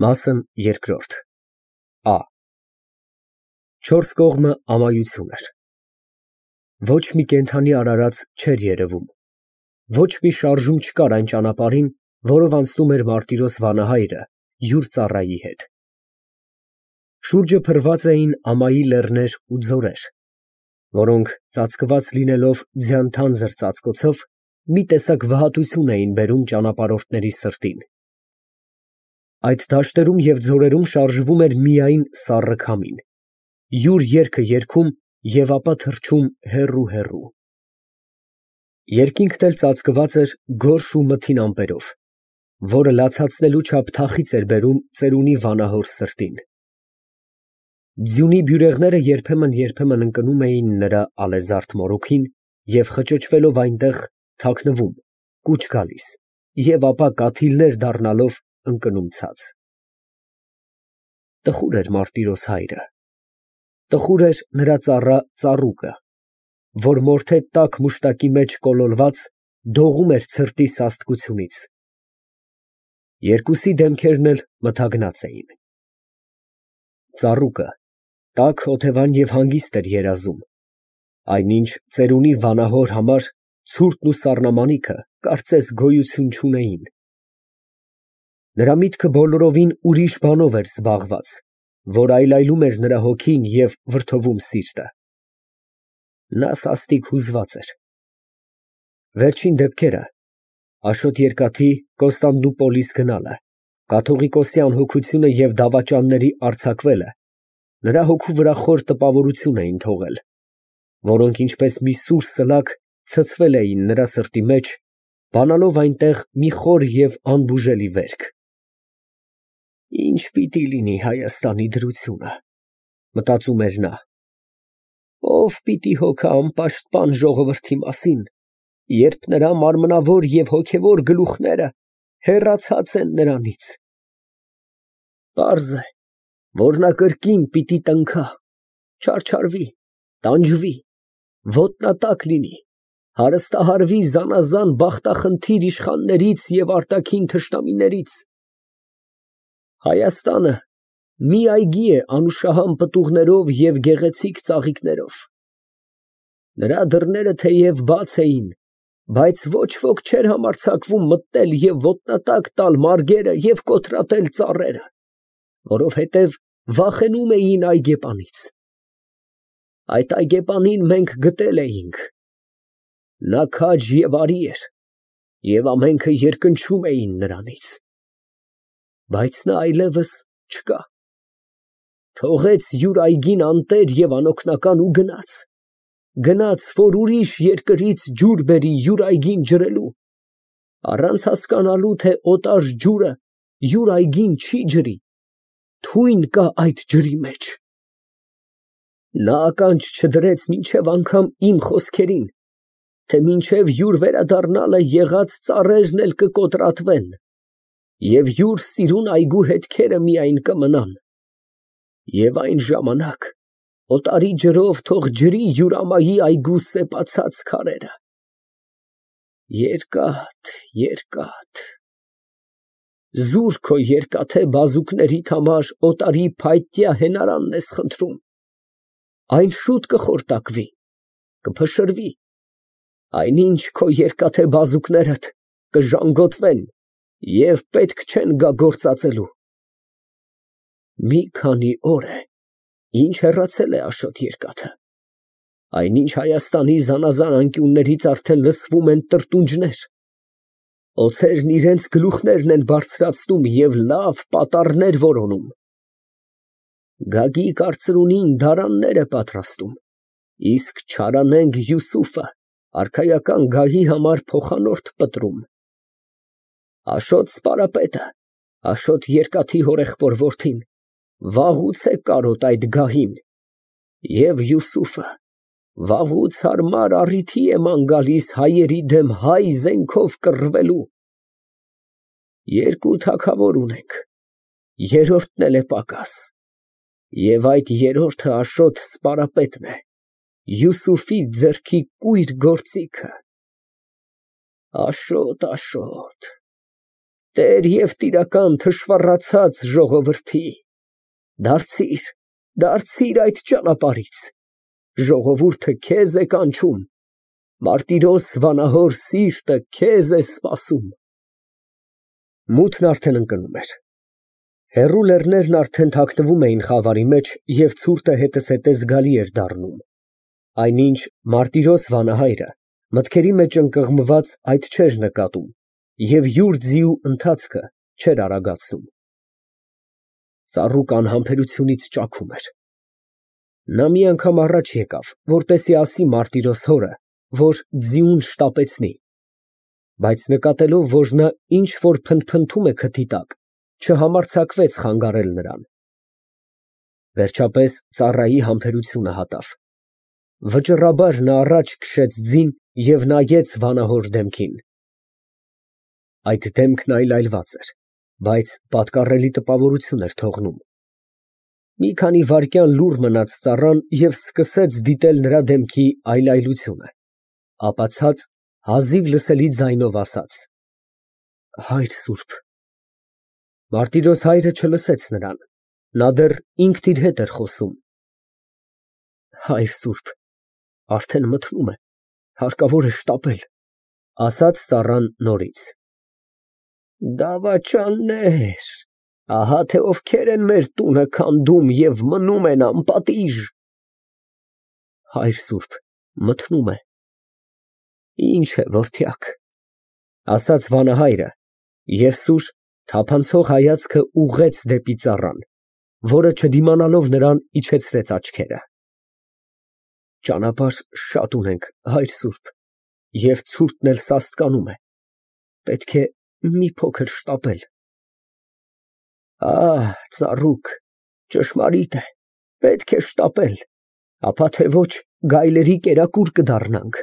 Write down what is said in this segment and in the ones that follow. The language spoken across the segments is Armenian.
Մասն երկրորդ Ա Չորս կողմը ամայություն էր։ Ոչ մի կենդանի արարած չէր երևում, ոչ մի շարժում չկար այն ճանապարհին, որով անցնում էր Մարտիրոս վանահայրը յուր ծառայի հետ։ Շուրջը փռված էին ամայի լեռներ ու ձորեր, որոնք ծածկված լինելով ձյան թանձր ծածկոցով, մի տեսակ վհատություն էին բերում ճանապարհորդների սրտին։ Այդ դաշտերում և ձորերում շարժվում էր միայն սառը քամին, յուր երգը երգում և ապա թռչում հեռու։ Երկինքն էլ ծածկված էր գորշ ու մթին ամպերով, որը լացացնելու չափ թախիծ էր բերում ծերունի վանահոր սրտին։ Ձյունի բյուրեղները երբեմն ընկնում էին նրա ալեզարդ մորուքին և խճճվելով այնտեղ, թաքնվում, կուչ գալիս և ապա կաթիլներ դառնալով ընկնում ցած։ Տխուր էր Մարտիրոս հայրը, տխուր էր նրա ծառա ծառուկը, որ մորթե տաք մուշտակի մեջ կոլորված դողում էր ցրտի սաստկությունից։ Երկուսի դեմքերն էլ մթագնած էին։ Ծառուկը տաք, օթևան և հանգիստ էր երազում, այնինչ ծերունի վանահոր համար ցուրտն ու սառնամանիքը կարծես գոյություն չունեին։ Նրա միտքը բոլորովին ուրիշ բանով էր զբաղված, որ այլայլում էր նրա հոգին և վրդովում սիրտը։ Նա սաստիկ հուզված էր։ Վերջին դեպքերը, Աշոտ Երկաթի Կոստանդնուպոլիս գնալը, կաթողիկոսյան հոգությունը և դավաճանների արձակվելը նրա հոգու վրա խոր տպավորություն էին թողել, որոնք ինչպես մի սուր սլաք ցցվել էին նրա սրտի մեջ, բանալով այնտեղ մի խոր և անբուժելի վերք։ Ի՞նչ պիտի լինի Հայաստանի դրությունը, մտածում էր նա։ Ո՞վ պիտի հոգա անպաշտպան ժողովրդի մասին, երբ նրա մարմնավոր և հոգևոր գլուխները հեռացած են նրանից։ Պարզ է, որ նա կրկին պիտի տնքա, չարչարվի, տանջվի, ոտնատակ լինի, հարստահարվի զանազան բախտախնդիր իշխաններից և արտաքին թշնամիներից։ Հայաստանը մի այգի է անուշահամ պտուղներով և գեղեցիկ ծաղիկներով։ Նրա դռները թեև բաց էին, բայց ոչ ոք չէր համարձակվում մտնել և ոտնատակ տալ մարգերը և կոտրատել ծառերը, որովհետև վախենում էին այգեպանից։ Այդ այգեպանին մենք գտել էինք։ Նա քաջ և արի էր, և ամենքը երկնչում էին նրանից։ Բայց նա այլևս չկա։ Թողեց յուր այգին անտեր և անօգնական ու գնաց, որ ուրիշ երկրից ջուր բերի յուր այգին ջրելու, առանց հասկանալու, թե օտար ջուրը յուր այգին չի ջրի, թույն կա այդ ջրի մեջ։ Նա ականջ չդրեց մինչև անգամ իմ խոսքերին, թե մինչև յուր վերադառնալը եղած ծառերն էլ կկոտրատվեն, և յուր սիրուն այգու հետքերը միայն կմնան, և այն ժամանակ օտարի ջրով թող ջրի յուր ամայի այգու սեպացած քարերը։ Երկաթ, զուր քո երկաթե բազուկներիդ համար օտարի փայտյա հենարանն ես խնդրում, այն շուտ կխորտակվի, կփշրվի, այնինչ քո երկաթե բազուկներդ կժանգոտվեն և պետք չեն գա գործածելու։ Մի քանի օր է, ինչ հեռացել է Աշոտ Երկաթը, այնինչ Հայաստանի զանազան անկյուններից արդեն լսվում են տրտունջներ, օձերն իրանց գլուխներն են բարձրացնում և լավ պատառներ որոնում։ Գագիկ արծրունին դարաններ է պատրաստում, իսկ չարանենգ Յուսուֆը արքայական գահի համար փոխանորդ պտրում։ Աշոտ սպարապետը, Աշոտ Երկաթի հորեղբոր որդին, վաղուց է կարոտ այդ գահին, և Յուսուֆը վաղուց հարմար առիթի է ման գալիս հայերի դեմ հայ զենքով կռվելու։ Երկու թագավոր ունենք, երրորդն էլ է պակաս, և այդ երրորդը Աշոտ սպարապետն է, Յուսուֆի ձեռքի կույր գործիքը։ Աշոտ, Տեր և տիրական թշվառացած ժողովրդի, դարձիր այդ ճանապարհից, ժողովուրդը քեզ է կանչում, մարտիրոս վանահոր սիրտը քեզ է սպասում։ Մութն արդեն ընկնում էր։ Հեռու լեռներն արդեն թաքնվում էին խավարի մեջ և ցուրտը հետզհետե զգալի էր դառնում, այնինչ մարտիրոս վանահայրը մտքերի մեջ ընկղմված այդ չէր նկատում և յուր ձիու ընթացքը չէր արագացնում։ Ծառուկը անհամբերությունից ճաքում էր։ Նա մի անգամ առաջ եկավ, որպեսզի ասի մարտիրոս հորը, որ ձիուն շտապեցնի, բայց նկատելով, որ նա ինչ֊որ փնթփնթում է քթի տակ, չհամարձակվեց խանգարել նրան։ Վերջապես ծառայի համբերությունը հատավ։ Վճռաբար նա առաջ քշեց ձին և նայեց վանահոր դեմքին։ Այդ դեմքն այլայլված էր, բայց պատկառելի տպավորություն էր թողնում։ Մի քանի վայրկյան լուռ մնաց ծառան և սկսեց դիտել նրա դեմքի այլայլությունը, ապա ցած, հազիվ լսելի ձայնով ասաց. «Հայր սուրբ»։ Մարտիրոս հայրը չլսեց նրան, նա դեռ ինքն իր հետ էր խոսում։ «Հայր սուրբ, արդեն մթնում է, հարկավոր է շտապել», ֊ ասաց ծառան նորից։ «Դավաճաններ, ահա թե ովքեր են մեր տունը քանդում և մնում են անպատիժ»։ «Հայր սուրբ, մթնում է»։ «Ինչ է, որդյակ», ֊ ասաց վանահայրը և սուր, թափանցող հայացքը ուղղեց դեպի ծառան, որը չդիմանալով նրան իջեցրեց աչքերը։ «Ճանապարհ շատ ունենք, հայր սուրբ, և ցուրտն էլ սաստկանում է, պետք է մի փոքր շտապել»։ Ծառուկ, ճշմարիտ է, պետք է շտապել, ապա թե ոչ գայլերի կերակուր կդառնանք։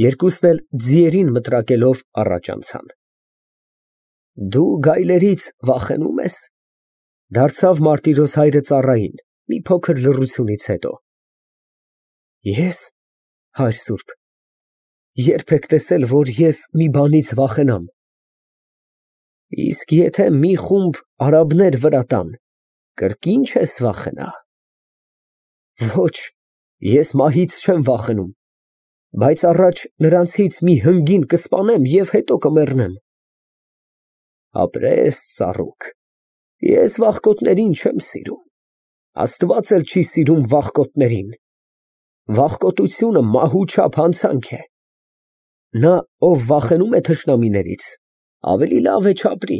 Երկուսն էլ ձիերին մտրակելով առաջ անցան։ «Դու գայլերից վախենու՞մ ես», ֊ դարձավ մարտիրոս հայրը ծառային մի փոքր լռությունից հետո։ «Ես, հայր սուրբ, ե՞րբ եք տեսել, որ ես մի բանից վախենամ։ Իսկ եթե մի խումբ արաբներ վրա տան, կրկին չես վախենա։ Ոչ, ես մահից չեմ վախենում, բայց առաջ նրանցից մի հնգին կսպանեմ և հետո կմեռնեմ»։ Ապրես, ծառուկ, ես վախկոտներին չեմ սիրում, Աստված էլ չի սիրում վախկոտներին։ Վախկոտությունը մահու չափ հանցանք է։ Նա, ով վախենում է թշնամիներից, ավելի լավ է չապրի։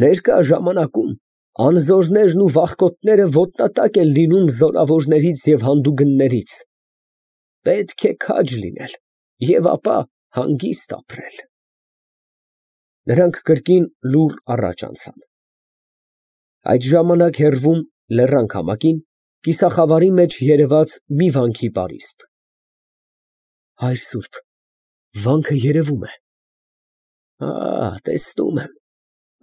Ներկա ժամանակում անզորներն ու վախկոտները ոտնատակ են լինում զորավորներից և հանդուգններից։ Պետք է քաջ լինել և ապա հանգիստ ապրել։ Նրանք կրկին լուռ առաջ անցան։ Այդ ժամանակ հեռվում, լեռան քամակին, կիսախավարի մեջ երևաց մի վանքի պարիսպ։ «Հայր սուրբ, վանքը երևում է»։ Տեսնում եմ,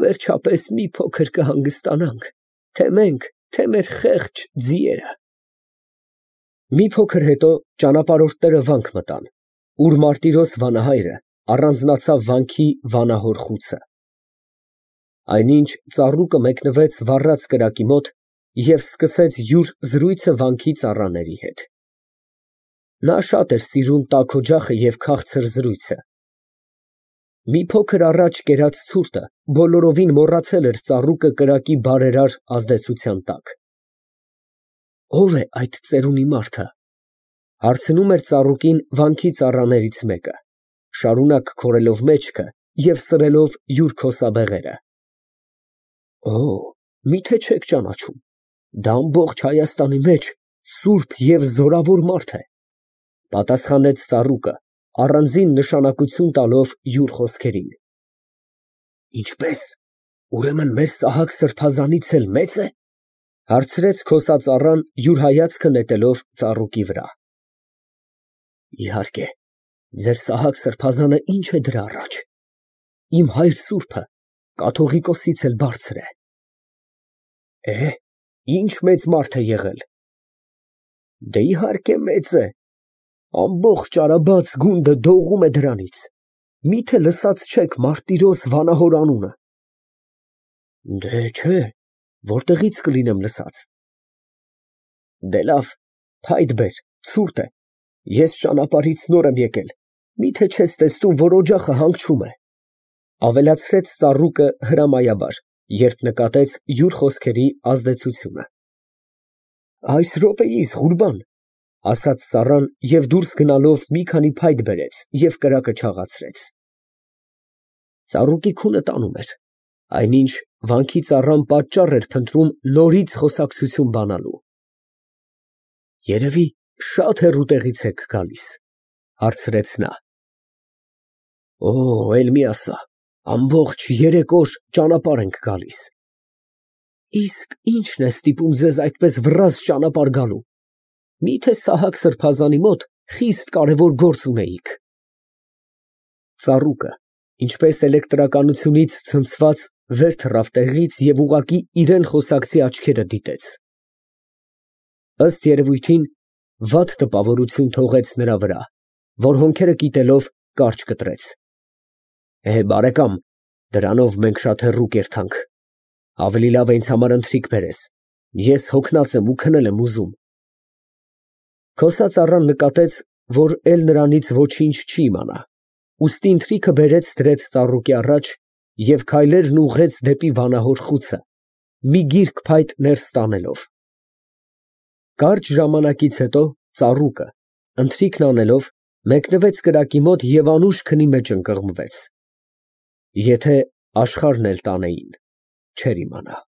վերջապես մի փոքր կհանգստանանք, թե մենք, թե մեր խեղճ ձիերը։ Մի փոքր հետո ճանապարհորդները վանք մտան, ուր մարտիրոս վանահայրը առանձնացավ վանքի վանահոր խուցը։ Այնինչ ծառուկը մեկնվեց վառած կրակի մոտ և սկսեց յուր զրույցը վանքի ծառաների հետ։ Նա շատ էր սիրում տաք օջախը և քաղցր զրույցը։ Մի փոքր առաջ կերած ցուրտը բոլորովին մոռացել էր ծառուկը կրակի բարերար ազդեցության տակ։ «Ո՞վ է այդ ծերունի մարդը», ֊ հարցնում էր ծառուկին վանքի ծառաներից մեկը, շարունակ քորելով մեջքը և սրելով յուր քոսաբեղերը։ Միթե չեք ճանաչում, դա ամբողջ Հայաստանի մեջ սուրբ և զորավոր մարդ է, ֊ պատասխանեց ծառուկը, առանձին նշանակություն տալով յուր խոսքերին։ Ինչպե՞ս, ուրեմն մեր Սահակ սրբազանից էլ մե՞ծ է, ֊ հարցրեց քոսածառան յուր հայացքը նետելով ծառուկի վրա։ Իհարկե, ձեր Սահակ սրբազանը ինչ է դրա առաջ, իմ հայր սուրբը կաթողիկոսից էլ բարձր է։ Ինչ մեծ մարդ է եղել։ Դե իհարկե մեծ է, ամբողջ Արաբած գունդը դողում է դրանից։ Միթե լսած չեք Մարտիրոս վանահոր անունը։ Դե չէ, որտեղից կլինեմ լսած։ Դե լավ, փայտ բեր, ցուրտ է, ես ճանապարհից նոր եմ եկել, միթե չես տեսնում, որ օջախը հանգչում է, ավելացրեց ծառուկը հրամայաբար, երբ նկատեց յուր խոսքերի ազդեցությունը։ Այս րոպեիս, Ղուրբան, ասաց ծառան և դուրս գնալով մի քանի փայտ բերեց և կրակը չաղացրեց։ Ծառուկի քունը տանում էր, այնինչ վանքի ծառան պատճառ էր փնտրում նորից խոսակցություն բանալու։ Երևի շատ հեռու տեղից եք գալիս, հարցրեց նա։ Օ, էլ մի ասա, ամբողջ 3 օր ճանապարհ ենք գալիս։ Իսկ ի՞նչն է ստիպում ձեզ այդպես վռազլ ճանապարհ գալու։ Միթե Սահակ սրբազանի մոտ խիստ կարևոր գործ ունեիք։ Ծառուկը, ինչպես էլեկտրականությունից ցնցված, վեր թռավ տեղից և ուղղակի իրան խոսակցի աչքերը դիտեց։ Ըստ երևույթին, վատ տպավորություն թողեց նրա վրա, որ հոնքերը կիտելով կարճ կտրեց։ Բարեկամ, դրանով մենք շատ հեռու կերթանք, ավելի լավ է ինձ համար ընթրիք բերես, ես հոգնած եմ ու քնել եմ ուզում։ Խոսածառան նկատեց, որ էլ նրանից ոչինչ չի իմանա, ուստի ընթրիքը բերեց դրեց ծառուկի առաջ և քայլերն ուղղեց դեպի վանահոր խուցը, մի գիրք փայտ ներս տանելով։ Կարճ ժամանակից հետո ծառուկը, ընթրիքն անելով, մեկնվեց կրակի մոտ և անուշ քնի մեջ ընկղմվեց։ Եթե աշխարհն էլ տանեին, չէր իմանա։